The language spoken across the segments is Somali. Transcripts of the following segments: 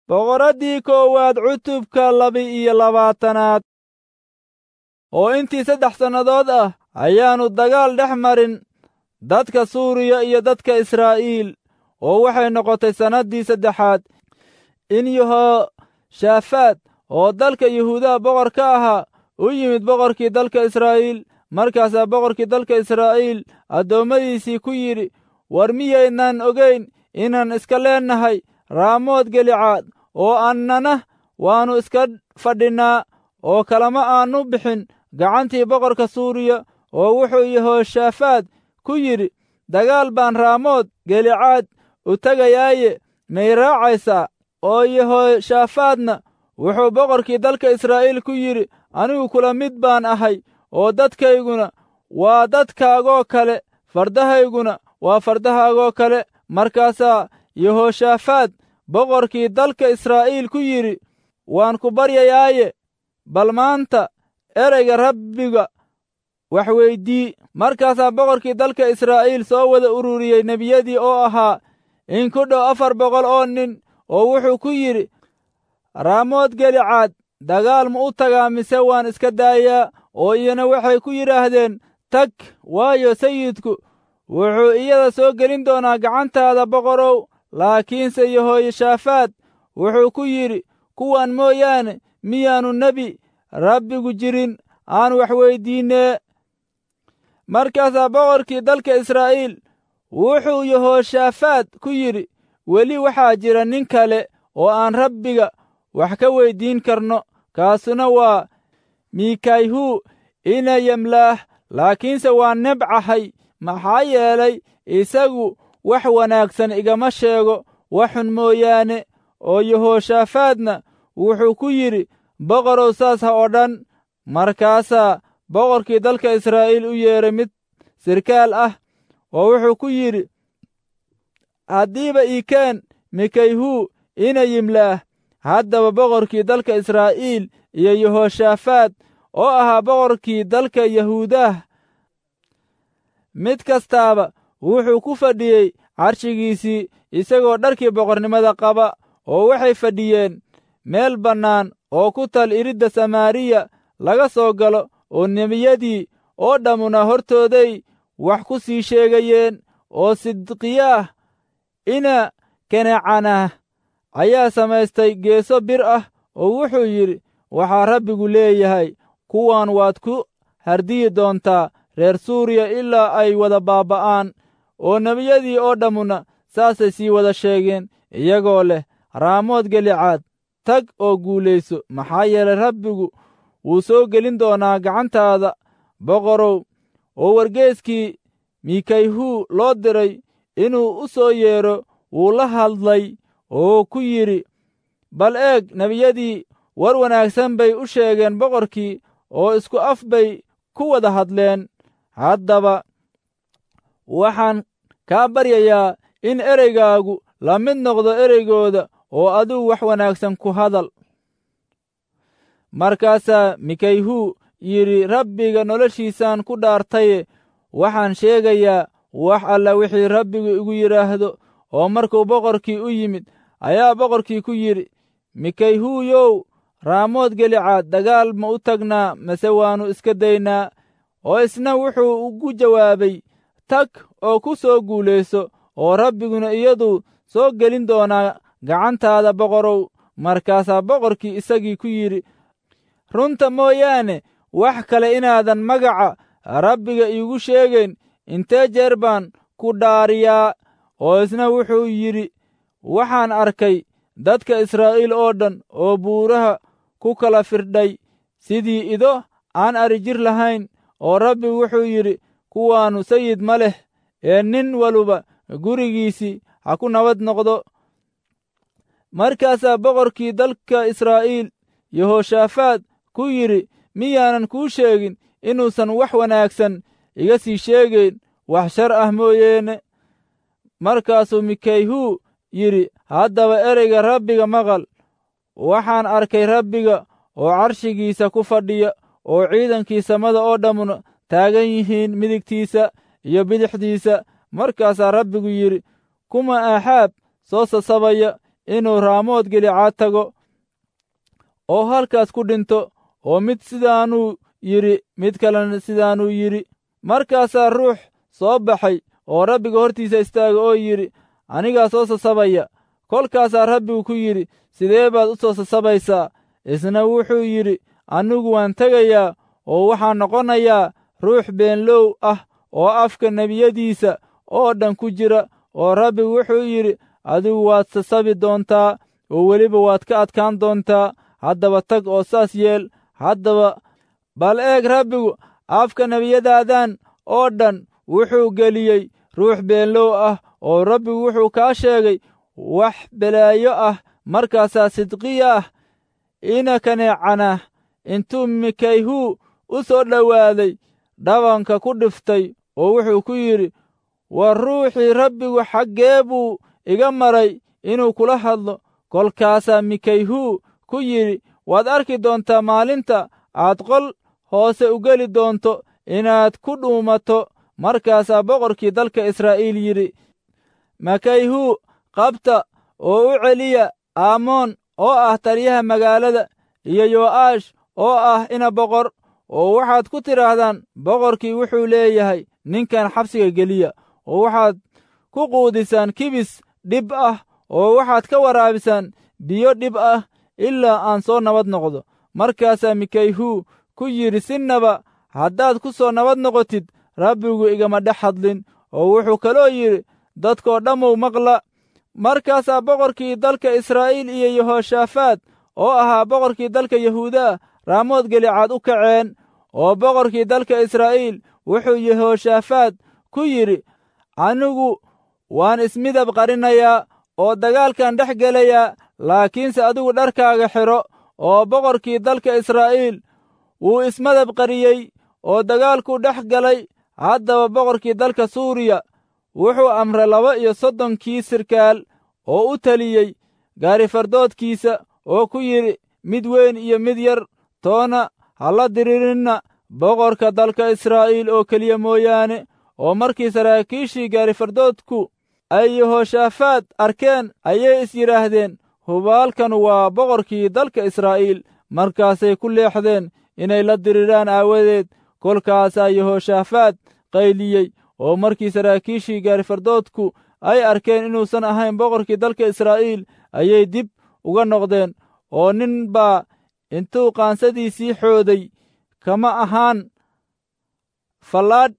Boqoraddii koowaad cutubka 22aad. Oo intii 3 sannadood ah ayaannu dagaal dhex marin dadka Suuriya iyo dadka Israa'iil, oo waxay noqotay sannaddii saddexaad in Yehooshafaat oo dalka Yahuudaha boqor ka ahaa u yimid boqorkii dalka Israa'iil. Markaasaa boqorkii dalka Israa'iil addoommadiisii ku yidhi, war miyaydnaan ogayn inaan iska leennahay Raamood Gelicaad, oo annana waannu iska fadhinnaa oo kalama aannu bixin gacantii boqorka Suuriya? Oo wuxuu Yehooshafaat ku yidhi, dagaal baan Raamood Gelicaad u tegayaaye, may raacaysaa? Oo Yehooshafaatna wuxuu boqorkii dalka Israa'iil ku yidhi, anigu kula mid baan ahay, oo dadkayguna waa dadkaagoo kale, fardahayguna waa fardahaagoo kale. Markaasaa Yehooshafaat boqorkii dalka Israa'iil ku yidhi, waan ku baryayaaye, bal maanta ereyga Rabbiga wax weydii. Markaasaa boqorkii dalka Israa'iil soo wada ururiyey nebiyadii oo ahaa in ku dhow 400 oo nin, oo wuxuu ku yidhi, Raamood Gelicaad dagaal ma u tagaa mise waan iska daayaa? Oo iyana waxay ku yidhaahdeen, tag, waayo sayidku wuxuu iyada soo gelin doonaa gacantaada, boqorow. Laakiinse Yehooshafaat wuxuu ku yidhi, kuwan mooyaane miyaannu nebi Rabbigu jirin aan wax weyddiinnee? Markaasaa boqorkii dalka Israa'iil wuxuu Yehooshafaat ku yidhi, weli waxaa jira nin kale oo aan Rabbiga wax ka weyddiin karno, kaasuna waa Mikayhu ina Yemlaah. Laakiinse waan nebcahay, maxaa yeelay isagu wax wanaagsan igama sheego, wax xun mooyaane. Oo Yehooshafaatna wuxuu ku yidhi, boqorow saas ha odhan. Markaasaa boqorkii dalka Israa'iil u yeedhay mid sirkaal ah, oo wuxuu ku yidhi, haddiiba ii keen Mikayhu ina Yimlaah. Haddaba boqorkii dalka Israa'iil iyo Yehooshafaat oo ahaa boqorkii dalka Yahuudaah mid kastaaba wuxuu ku fadhiyey carshigiisii, isagoo dharkii boqornimada qaba, oo waxay fadhiyeen meel bannaan oo ku tal iridda Samaariya laga soo galo, oo nebiyadii oo dhammuna hortooday wax ku sii sheegayeen. Oo Sidqiyaah ina Kenecanah ayaa samaystay geeso bir ah, oo wuxuu yidhi, waxaa Rabbigu leeyahay, kuwan waad ku hardiyi doontaa reer Suuriya ilaa ay wada baaba'aan. Oo nebiyadii oo dhammuna saasay sii wada sheegeen, iyagoo leh, Raamood Gelicaad tag oo guulayso, maxaa yeelay Rabbigu wuu soo gelin doonaa gacantaada, boqorow. Oo wargeeskii Mikayhu loo diray inuu u soo yeedho wuu la hadlay oo ku yidhi, bal eeg, nebiyadii war wanaagsan bay u sheegeen boqorkii, oo isku af bay ku wada hadleen. Haddaba waxaan kaa baryayaa in ereygaagu la mid noqdo ereygooda, oo adigu wax wanaagsan ku hadal. Markaasaa Mikayhu yidhi, Rabbiga noloshiisaan ku dhaartaye, waxaan sheegayaa wax alla wixii Rabbigu igu yidhaahdo. Oo markuu boqorkii u yimid ayaa boqorkii ku yidhi, Mikayhuyow, Raamood Gelicaad dagaal ma u tagnaa mase waannu iska daynaa? Oo isna wuxuu ugu jawaabay, tag oo ku soo guulayso, oo Rabbiguna iyaduu soo gelin doonaa gacantaada, boqorow. Markaasaa boqorkii isagii ku yidhi, runta mooyaane wax kale inaadan magaca Rabbiga iigu sheegayn, intee jeer baan ku dhaariyaa? Oo isna wuxuu yidhi, waxaan arkay dadka Israa'iil oo dhan oo buuraha ku kala firdhay sidii ido aan ari jir lahayn. Oo Rabbigu wuxuu yidhi, kuwaannu sayid ma leh, ee nin waluba gurigiisii ha ku nabad noqdo. Markaasaa boqorkii dalka Israa'iil Yehooshafaat ku yidhi, miyaanan kuu sheegin inuusan wax wanaagsan iga sii sheegayn, wax shar ah mooyeene? Markaasuu Mikayhu yidhi, haddaba ereyga Rabbiga maqal. Waxaan arkay Rabbiga oo carshigiisa ku fadhiya, oo ciidankii samada oo dhammuna taagan yihiin midigtiisa iyo bidixdiisa. Markaasaa Rabbigu yidhi, kuma Axaab soo sasabaya inuu Raamood Gilicaad tago oo halkaas ku dhinto. Oo mid sidaanuu yidhi, mid kalena sidaanuu yidhi. Markaasaa ruux soo baxay oo Rabbiga hortiisa istaagay oo yidhi, Anigaa soo sasabaya. Kolkaasaa Rabbigu ku yidhi, Sidee baad u soo sasabaysaa? Isna wuxuu yidhi, Anigu waan tegayaa oo waxaan noqonayaa ruux beenlow ah oo afka nebiyadiisa oo dhan ku jira. Oo Rabbigu wuxuu yidhi, Adigu waad sasabi doontaa oo weliba waad ka adkaan doontaa. Haddaba tag oo saas yeel. Haddaba bal eeg, Rabbigu afka nebiyadaadan oo dhan wuxuu geliyey ruux beenlow ah, oo Rabbigu wuxuu kaa sheegay wax belaayo ah. Markaasaa Sidqiya ah ina Kaneecana intuu Mikayhu u soo dhowaaday dhabanka ku dhiftay oo wuxuu ku yidhi, War ruuxii Rabbigu xaggee buu iga maray inuu kula hadlo? Kolkaasaa Mikayhu ku yidhi, Waad arki doontaa maalinta aad qol hoose u geli doonto inaad ku dhuumato. Markaasaa boqorkii dalka Israa'iil yidhi, Makayhu qabta oo u celiya Aamoon oo ah taliyaha magaalada, iyo Yo'aash oo ah ina boqor, oo waxaad ku tidhaahdaan, boqorkii wuxuu leeyahay ninkan xabsiga geliya, oo waxaad ku quudisaan kibis dhib ah, oo waxaad ka waraabisaan biyo dhib ah ilaa aan soo nabad noqdo. Markaasaa Mikayhu ku yidhi, Sinaba haddaad ku soo nabad noqotid, Rabbigu igama dhex hadlin. Oo wuxuu kaloo yidhi, Dadkoo dhammow maqla. Markaasaa boqorkii dalka Israa'iil iyo Yehooshafaat oo ahaa boqorkii dalka Yahuuda Raamood Gilicaad u kaceen. Oo boqorkii dalka Israa'iil wuxuu Yehooshafaat ku yidhi, Anigu waan ismidab qarinayaa oo dagaalkan dhex gelayaa, laakiinse adigu dharkaaga xidho. Oo boqorkii dalka Israa'iil wuu ismadab qariyey oo dagaalkuu dhex galay. Haddaba boqorkii dalka Suuriya wuxuu amray 32kii sirkaal oo u taliyey gaarifardoodkiisa oo ku yidhi, Mid weyn iyo mid yar toona ha la diriirinna boqorka dalka Israa'iil oo keliya mooyaane. Oo markii saraakiishii gaarifardoodku ay Yehooshafaat arkeen, ayay is yidhaahdeen, Hubaalkanu waa boqorkii dalka Israa'iil. Markaasay ku leexdeen inay la diriiraan aawadeed. Kolkaasaa Yehooshafaat qayliyey, oo markii saraakiishii gaarifardoodku ay arkeen inuusan ahayn boqorkii dalka Israa'iil, ayay dib uga noqdeen. Oo nin baa intuu qaansadiisii xooday kama ahaan fallaadh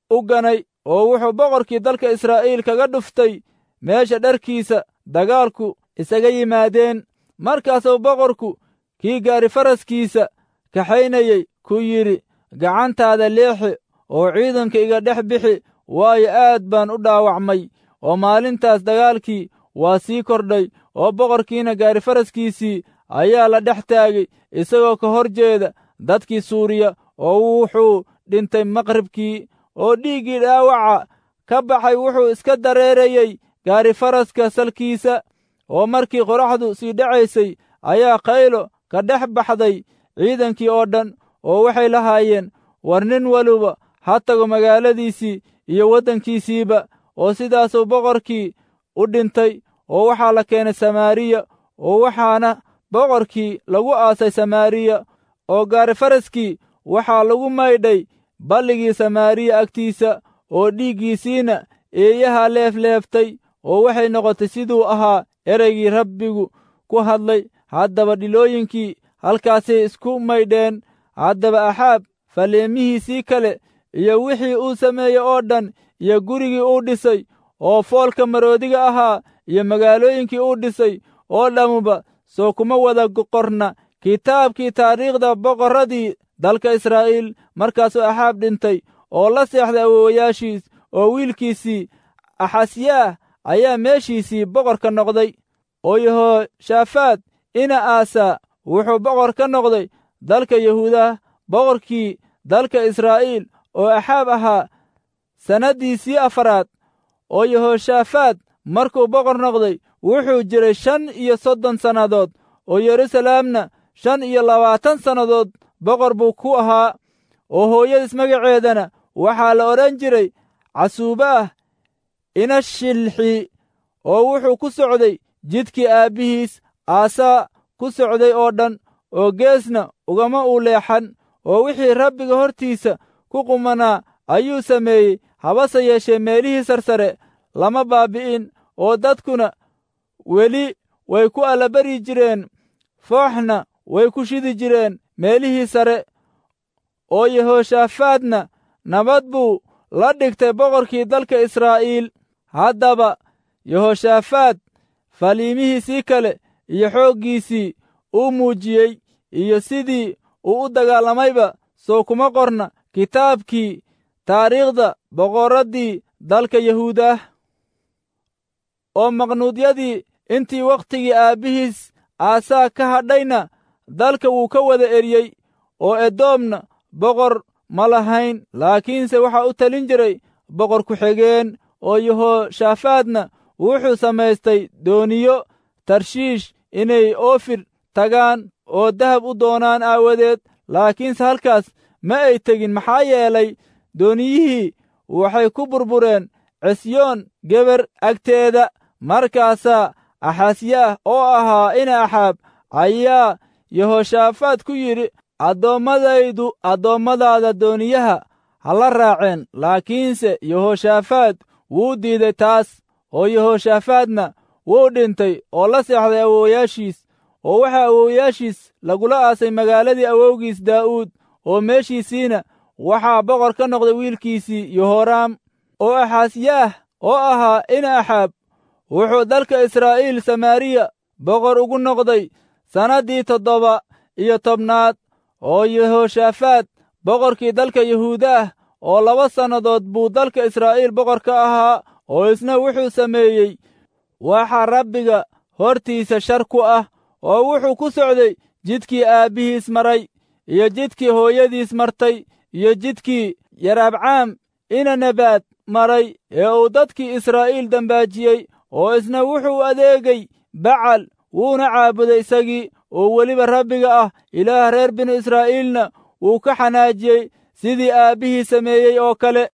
u ganay, oo wuxuu boqorkii dalka Israa'iil kaga dhuftay meesha dharkiisa dagaalku isaga yimaadeen. Markaasuu boqorku kii gaarifaraskiisa kaxaynayey ku yidhi, Gacantaada leexi oo ciidanka iga dhex bixi, waayo aad baan u dhaawacmay. Oo maalintaas dagaalkii waa sii kordhay, oo boqorkiina gaarifaraskiisii ayaa la dhex taagay isagoo ka hor jeeda dadkii Suuriya, oo wuxuu dhintay maqribkii. Oo dhiiggii dhaawaca ka baxay wuxuu iska dareerayey gaarifaraska salkiisa. Oo markii qoraxdu sii dhacaysay ayaa qaylo ka dhex baxday ciidankii oo dhan, oo waxay lahaayeen, War nin waliba ha tago magaaladiisii iyo waddankiisiiba. Oo sidaasuu boqorkii u dhintay, oo waxaa la keenay Samaariya, oo waxaana boqorkii lagu aasay Samaariya. Oo gaarifaraskii waxaa lagu maydhay balligii Samaariya agtiisa, oo dhiiggiisiina eeyaha leefleeftay, oo waxay noqotay siduu ahaa ereygii Rabbigu ku hadlay. Haddaba dhilooyinkii halkaasay isku maydheen. Haddaba Axaab faleemihiisii kale iyo wixii uu sameeyey oo dhan, iyo gurigii uu dhisay oo foolka maroodiga ahaa, iyo magaalooyinkii uu dhisay oo dhammuba, soo kuma wada qorna kitaabkii taariikhda boqorradii dalka Israa'iil. Markaasuu Axaab dhintay oo la seexday awoowayaashiis, oo wiilkiisii Axasyaah ayaa meeshiisii boqor ka noqday. Oo Yehooshafaat ina Aasaa wuxuu boqor ka noqday dalka Yahuudah, boqorkii dalka Israa'iil oo Axaab ahaa sannaddiisii afaraad. Oo Yehooshafaat markuu boqor noqday wuxuu jiray 35 sannadood, oo Yeruusalaamna 25 sannadood boqor buu ku ahaa. Oo hooyadiis magaceedana waxaa la odhan jiray Casuubaah ina Shilxi. Oo wuxuu ku socday jidkii aabbihiis Aasaa ku socday oo dhan, oo geesna ugama uu leexan, oo wixii Rabbiga hortiisa ku qumanaa ayuu sameeyey. Habase yeeshee meelihii sarsare lama baabbi'in, oo dadkuna weli way ku allabari jireen, fooxna way ku shidi jireen meelihii sare. Oo Yehooshafaadna nabad buu la dhigtay boqorkii dalka Israa'iil. Haddaba Yehooshafaad faliimihiisii kale iyo xooggiisii uu muujiyey iyo sidii uu u dagaalamayba soo kuma qorna kitaabkii taariikhda boqorraddii dalka Yahuudah. Oo maqnuudyadii intii wakhtigii aabbihiis Aasaa ka hadhayna dalka wuu ka wada eriyey, oo Edoomna boqor ma lahayn, laakiinse waxaa u talin jiray boqor ku-xigeen. Oo Yehooshafaadna wuxuu samaystay dooniyo Tarshiish inay Oofir tagaan oo dahab u doonaan aawadeed, laakiinse halkaas ma ay tegin, maxaa yeelay dooniyihii waxay ku burbureen Cisyoon Geber agteeda. Markaasaa Axasyaah oo ahaa ina Axaab ayaa Yehooshafaad ku yidhi, addoommadaydu addoommadaada dooniyaha ha la raaceen. Laakiinse Yehooshafaad wuu diiday taas. Oo Yehooshafaadna wuu dhintay oo la seexday awoowayaashiis, oo waxaa awoowayaashiis lagula aasay magaaladii awowgiis Daa'uud, oo meeshiisiina waxaa boqor ka noqday wiilkiisii Yehoraam. Oo Axasyaah oo ahaa ina Axaab wuxuu dalka Israa'iil Samaariya boqor ugu noqday sannaddii 17aad oo Yehooshafaad boqorkii dalka Yahuudaah, oo 2 sannadood buu dalka Israa'iil boqor ka ahaa. Oo isna wuxuu sameeyey waxa Rabbiga hortiisa shar ku ah, oo wuxuu ku socday jidkii aabbihiis maray iyo jidkii hooyadiis martay iyo jidkii Yaraabcaam ina Nebaad maray ee uu dadkii Israa'iil dambaajiyey. Oo isna wuxuu adeegay Bacal, wuuna caabuday isagii, oo weliba Rabbiga ah Ilaah reer binu Israa'iilna wuu ka xanaajiyey sidii aabbihii sameeyey oo kale.